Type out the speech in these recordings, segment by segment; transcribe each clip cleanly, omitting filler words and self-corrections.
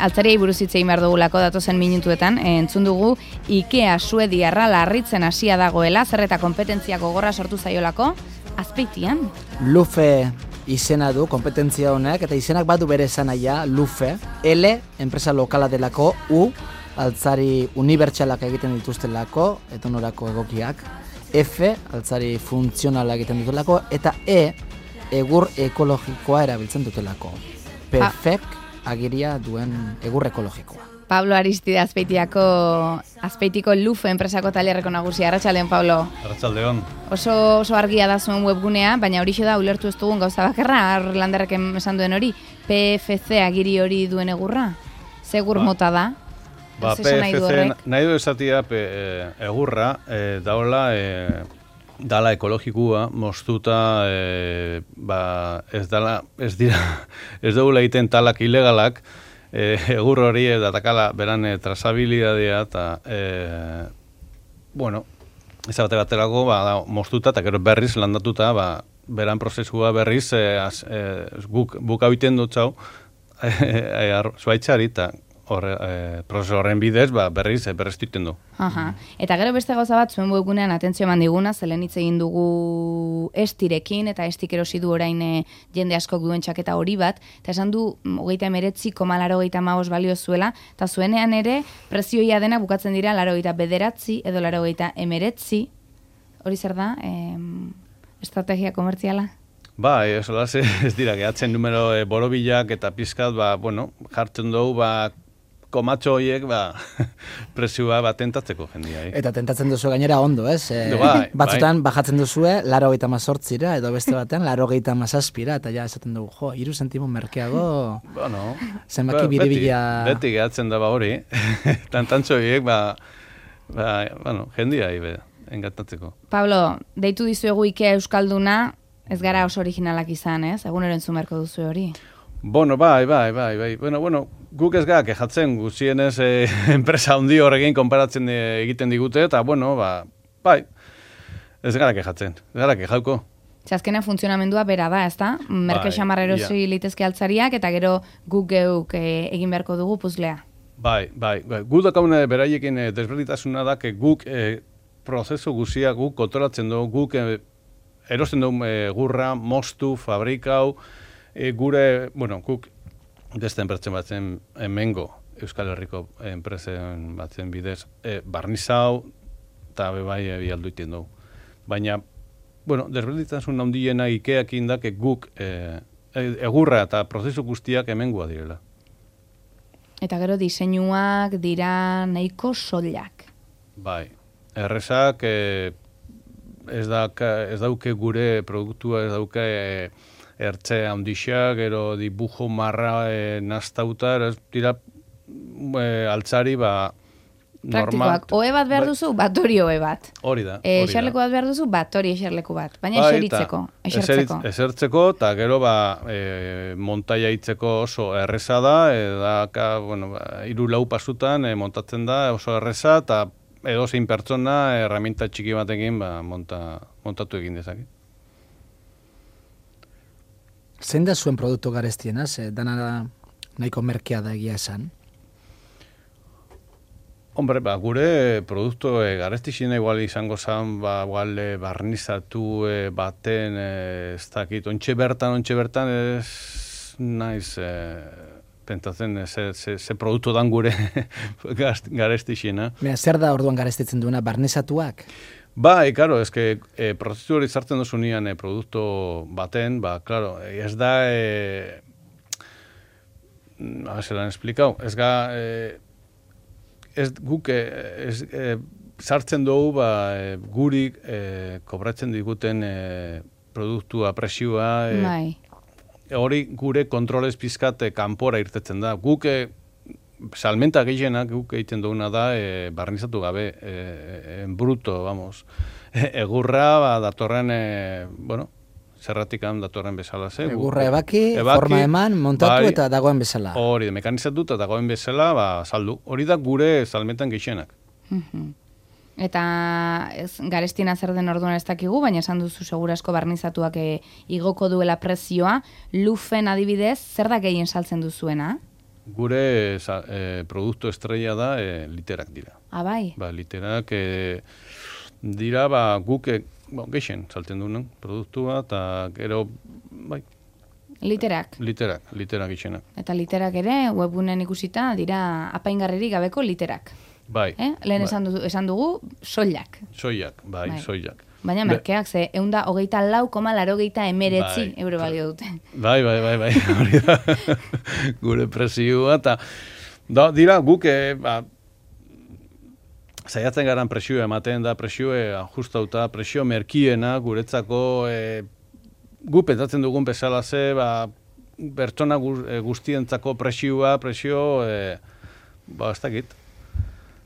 Altzariai buruz hitz egin behar dugulako datozen minutuetan, entzun dugu IKEA suediarra larritzen hasia dagoela, zer eta konpetentziako gogorra sortu zaiolako, Azpeitian. Lufe izena du konpetentzia honek, eta izenak badu bere esanaia, Lufe, L, enpresa lokala delako, U, altzari unibertsalak egiten dituztelako, etonorako egokiak, F, altzari funtzionala egiten dutulako, eta E, egur ekologikoa erabiltzen dutelako. Perfect agiria duen egur ekologikoa. Pablo Aristide Azpeitiko Lufe enpresako tailerreko nagusia. Arratsaldeon, Pablo. Arratsaldeon. Oso argia da zuen webgunea, baina horixe da ulertu ez dugun gauza bakarra, Landerrek esan duen hori, PFC agiri hori duen egurra? Zegur mota da? PFC nahi du esatia egurra, daola dala ekologikua, moztuta ez dugula egiten talak ilegalak, egur hori datakala beran trazabilidadea eta ez baterako moztuta eta gero berriz landatuta beran prozesua berriz guk abiten dutxau zuaitzari eta prozesu horren bidez berriz berreztuten du. Eta gero beste gauza bat zuen webgunean atentzio eman diguna, zelen hitz egin dugu estirekin, eta estik erosi du orain jende askok duen txaketa hori bat, eta esan du 39,85 balio zuela, eta zuenean ere prezioia dena bukatzen dira 89 edo 89, hori zer da, estrategia komertziala? Ez dira, gehatzen numero borobilak eta pizkat, jartzen dugu, komatxo horiek presioa tentatzeko jendia. Eta tentatzen duzu gainera ondo, ez? Batzutan bajatzen duzue 98ra edo beste batean 97ra, eta ja esaten dugu, 3 zentimo merkeago zenbaki biribila... Beti gehatzen da hori, tantantxo horiek jendia engatatzeko. Pablo, deitu dizuegu IKEA Euskalduna, ez gara oso originalak izan, ez? Egunero entzumerko duzu hori. Bai. Guk ez gara kejatzen guzienez enpresa handi horrekin konparatzen egiten digute, eta ez gara kejatzen, ez gara kejauko. Azkenean funtzionamendua bera da, ez da? Merke xamarra erosi litezke altzariak, eta gero guk geuk egin beharko dugu puzlea. Bai. Gu dakaune beraiekin desberditasuna da, guk prozesu guzia guk kontrolatzen dugu, guk erosten dugu gurra, moztu, fabrikau, guk beste enpretzen batzen hemengo Euskal Herriko enpresen batzen bidez barnizau eta bialdu iten dugu. Baina, desberditasun handiena IKEak indak guk egurra eta prozesu guztiak hemengoa direla. Eta gero diseinuak dira nahiko soilak. Bai, errezak ez dauke gure produktua, ez dauke ertze handixak, gero dibujo marra naztauta, ez dira altzari normal. Praktikoak, oe bat behar duzu, bat hori oe bat. Hori da. Eserleku bat behar duzu, bat hori eserleku bat. Baina esertzeko. Esertzeko, eta gero montaia hitzeko oso erreza da, eta 3-4 pasutan montatzen da oso erreza, eta edozein pertsona herramienta txiki batekin montatu egin dezake. Zein da zuen produktu garestiena? Dana nahiko merkea da egia esan? Hombre, gure produktu garestixina igual izango zan, barnizatu baten, ez dakit, ontxe bertan ez naiz pentatzen ze produktu dan gure garestixina. Zer da orduan garestitzen duena, barnizatuak? Bai, claro, es que prozesu hori zartzen duzu nian produktu baten, claro, ez da zelan esplikau, ez guk sartzen dugu gurik kobratzen diguten produktua, presioa, hori gure kontrolez pizkat kanpora irtetzen da. Guk salmenta gehienak guk egiten duguna da barnizatu gabe, en bruto, vamos. Egurra datorren, zerratikan datorren bezala. Egurra ebaki, forma eman, montatu eta dagoen bezala. Hori, mekanizatu eta dagoen bezala, saldu. Hori da gure salmentan gehienak. Eta garestina zer den orduan ez dakigu, baina esan duzu segurasko barnizatuak igoko duela prezioa. Lufen adibidez, zer da gehien saltzen duzuena? Gure produktu estrella da literak dira. Bai? Literak dira, guk geixen salten duen produktua, eta gero, bai. Literak gixenak. Eta literak ere, webgunean ikusita, dira apaingarririk gabeko literak. Bai. Lehen esan dugu, soilak. Soilak. Baina merkeak, ze 124,89 euro balio dute. Bai, hori da. Gure presioa, eta dira guk, saiatzen garan presioa ematen da, presioa ajustauta, presio merkiena guretzako, gu pentsatzen dugun bezala ze, pertsona guztientzako presio, ez dakit.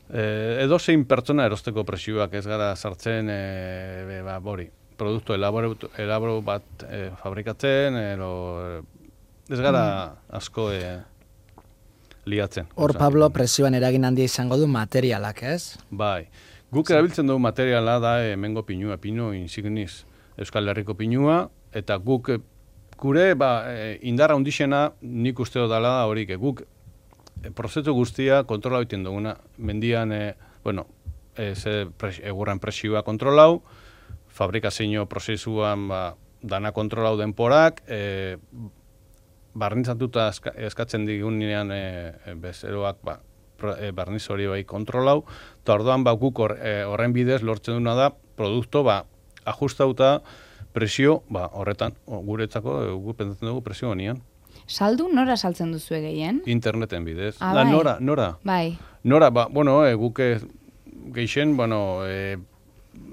Edo zein pertsona erosteko presioak ez gara sartzen, produktu elaboro bat fabrikatzen, ez gara asko liatzen. Hor, Pablo, presioan eragin handia izango du materialak, ez? Bai. Guk erabiltzen dugu materiala da hemengo pinua, pinu insignis, Euskal Herriko pinua, eta guk gure indarra hundixena nik usteo dela horik. Guk prozesu guztia kontrola egiten duguna. Mendian, egurran presioa kontrolau, fabrikazio prozesuan dana kontrolau denporak, barnitzatuta eskatzen digunean bezeroak barniz hori bai kontrolau, eta orduan guk horren bidez lortzen duna da produktu ajustauta presio horretan, guretzako guk pentsatzen dugu presio honian. Saldu nora saltzen duzu gehien? Interneten bidez. Bai. Nora. Bai. Nora, guk geixen,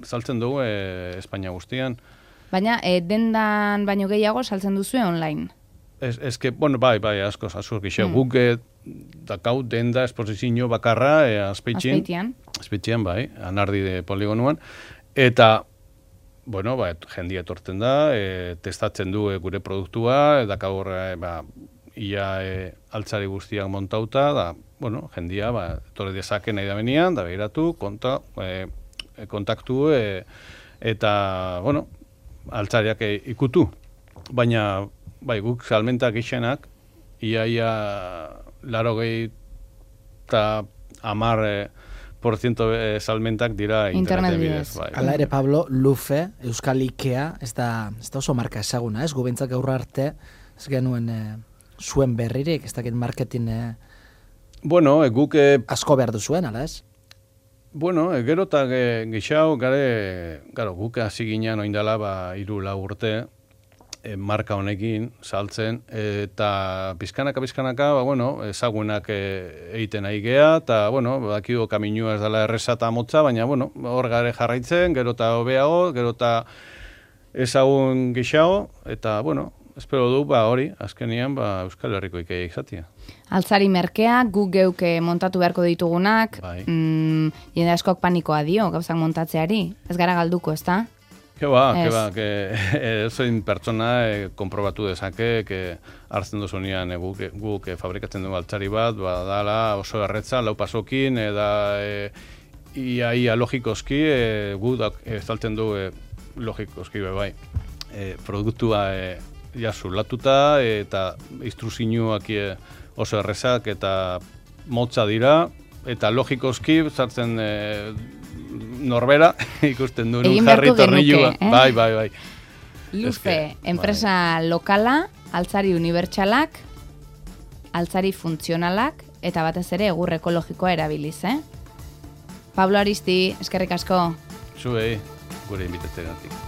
saltzen dugu Espainia guztian. Baina, dendan baino gehiago saltzen duzu online? Bai, asko gixen. Guk dakau denda esposizio bakarra Azpeitian, bai, Anardi de poligonuan, eta jendia etortzen da, testatzen du gure produktua, dakau ia altzari guztiak montauta, jendia etorri dezake nahi da benian, da behiratu, kontaktu, eta, altzariak ikutu. Baina, guk salmentak gixenak, ia 80 eta 10% salmentak dira interneten bidez. Hala ere, Pablo, Lufe, Euskal Ikea, ez da oso marka ezaguna, ez? Gubentzak gaur arte, ez genuen zuen berririk, ez dakit marketing guk asko behar duzuen, ala ez? Gero eta gixau, guk hasi ginean oindala 3-4 urte, marka honekin saltzen, eta pizkanaka, ezagunak egiten nahi geha, eta, bakido kaminua ez dela erreza eta motza, baina, hor gare jarraitzen, gero eta hobeago, gero eta ezagun gixago, eta, espero du, hori, azkenian, Euskal Herriko Ikea izatea. Altzari merkea, guk geuk montatu beharko ditugunak, jende askok panikoa dio, gauzak montatzeari, ez gara galduko, ez da? Zein pertsona konprobatu dezake, hartzen dozunean guk fabrikatzen dugu altzari bat, dala oso erretza, lau pasokin, ia logikoski, guk estaltzen du logikoski bai. Produktua zulatuta, eta instruzioak oso errezak eta motza dira, eta logikoski sartzen norbera ikusten duen jarri tornilua. Bai. Lufe, enpresa lokala, altzari unibertsalak, altzari funtzionalak, eta batez ere egur ekologikoa erabiliz, Pablo Aristi, eskerrik asko. Zuei, gure inbitatzeagatik.